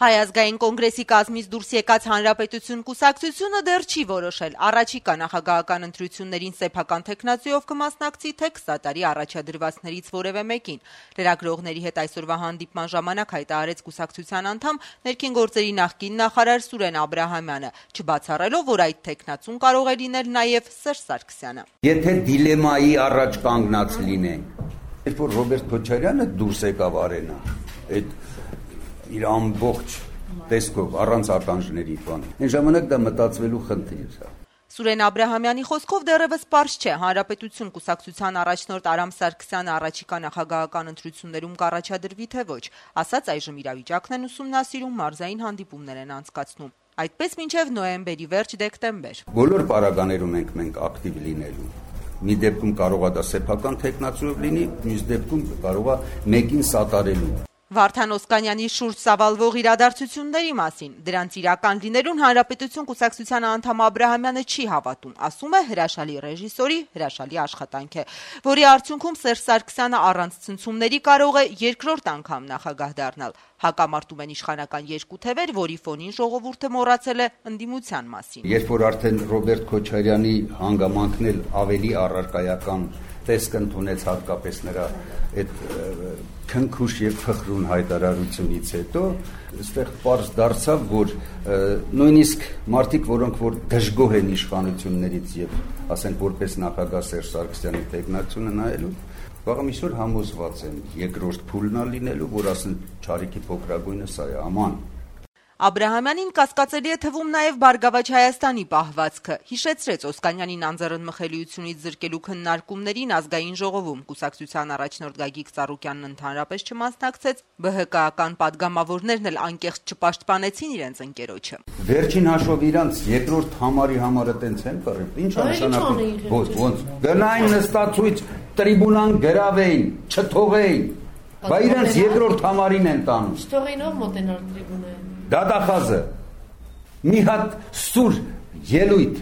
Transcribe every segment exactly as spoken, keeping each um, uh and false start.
Հայ ազգային կոնգրեսի կազմից դուրս եկած Հանրապետություն կուսակցությունը դեռ չի որոշել առաջիկա նախագահական ընտրություններին սեփական թեկնածուով կմասնակցի, թե քսան տարի առաջադրվածներից որևէ մեկին։ Լրագրողների հետ այսօրվա հանդիպման ժամանակ հայտարարեց կուսակցության անդամ ներքին գործերի նախկին նախարար Սուրեն Աբրահամյանը, չբացառելով, որ այդ թեկնածուն կարող է լինել նաև Սերժ Սարգսյանը։ Եթե դիլեմայի առաջ կանգնած լինենք, երբ որ Ռոբերտ Քոչարյանը դուրս եկավ արենա, այդ իր ամբողջ տեսքով առանց ականջների բան։ Այն ժամանակ դա մտածվելու խնդիր է։ Սուրեն Աբրահամյանի խոսքով դեռևս պարզ չէ Հանրապետություն կուսակցության առաջնորդ Արամ Սարգսյանը առաջիկա նախագահական ընտրություններում կառաջադրվի թե ոչ, ասաց այժմ իրավիճակն են ուսումնասիրում, մարզային հանդիպումներ են անցկացնում։ Այդպես մինչև նոյեմբերի վերջ դեկտեմբեր։ Բոլոր պարագաներում ենք մենք ակտիվ լինելու։ Մի դեպքում կարող է դա սեփական թեկնածուով լինի, մյուս դեպքում կարող է մեկին սատարելու։ Վարդան Օսկանյանի շուրջ սավալվող իրադարձությունների մասին դրանց իրական լինելուն Հանրապետություն կուսակցության անդամ Աբրահամյանը չի հավատում, ասում է հրաշալի ռեժիսորի հրաշալի աշխատանք է, որի արդյունքում Սերժ Սարգսյանը առանց ցնցումների կարող է երկրորդ անգամ նախագահ դառնալ։ Հակամարտում են իշխանական երկու թևեր, որի ֆոնին ժողովուրդը մոռացել է ընդդիմության մասին։ Երբ որ արդեն Ռոբերտ Քոչարյանի հանգամանքն էլ ավելի առարկայական տեսք ընդունեց հատկապես նրա այդ քնքուշ եւ փխրուն հայտարարությունից հետո, այստեղ պարզ դարձավ, որ նույնիսկ մարդիկ, որոնք որ դժգոհ են իշխանություններից եւ ասենք որպես նախագահ Սերժ Սարգսյանի տեխնացիոնը նայելու, վաղը միսօր համոզված են երկրորդ փուլն ա լինելու, որ ասեն Չարիքի փոքրագույնը սա է, աման։ Աբրահամյանին կասկածելի է թվում նաև Բարգավաճ Հայաստանի պահվածքը։ Հիշեցրեց Օսկանյանին անձեռն մխելիությունից զրկելու քննարկումներին ազգային ժողովում կուսակցության առաջնորդ Գագիկ Ծառուկյանն ընդհանրապես չմասնակցեց, ԲՀԿ-ական падգամավորներն էլ անկեղծ չպաշտպանեցին իրենց ընկերոջը։ Վերջին հաշվով իրանց երկրորդ համարի համարը տենց են կռիվ։ Ինչ է նշանակում։ Ոնց գնային նստածույց տրիբունան գրավեին, չթողեին։ Բա իրանց երկրորդ համարին են տանում։ Չթողեին ով մոտենալ տրիբունային։ Դատախազը մի հատ սուր ելույթ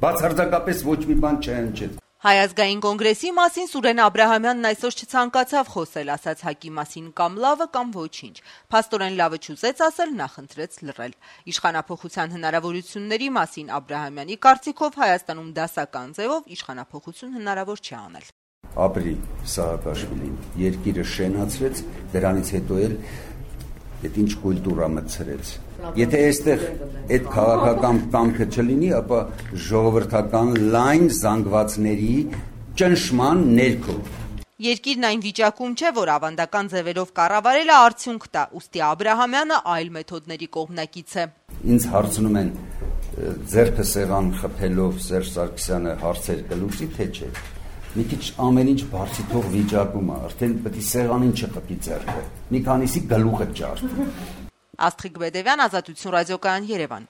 բացարձակապես ոչ մի բան չհնչեց։ Հայ ազգային կոնգրեսի մասին Սուրեն Աբրահամյանն այսօր չցանկացավ խոսել, ասաց ՀԱԿ-ի մասին կամ լավը կամ ոչինչ։ Փաստորեն լավը չուզեց ասել, նախընտրեց լռել։ Իշխանափոխության հնարավորությունների մասին Աբրահամյանի կարծիքով Հայաստանում դասական ձևով իշխանափոխություն հնարավոր չի անել։ Ապրի Սաակաշվիլին երկիրը շենացրեց, դրանից հետո էլ այդ ինչ կուլտուրա մտցրեց։ Եթե այստեղ այդ քաղաքական կամքը չլինի, ապա ժողովրդական լայն զանգվածների ճնշման ներքո։ Երկիրն այն վիճակում չէ, որ ավանդական ձևերով կառավարելը արդյունք տա, ուստի Աբրահամյանը այլ մեթոդների կողմնակից է։ Ինձ հարցնում են ձեռքը սեղան խփելով Սերժ Սարգսյանը հարցեր կլուծի, թե չէ։ Մի քիչ ամեն ինչ բարձի թող վիճակում է, արդեն պետք է սեղանին չխփի ձեռքը։ Մի քանիսի գլուխը ջարդի։ Աստղիկ Բեդևյան, Ազատություն ռադիոկայան, Երևան։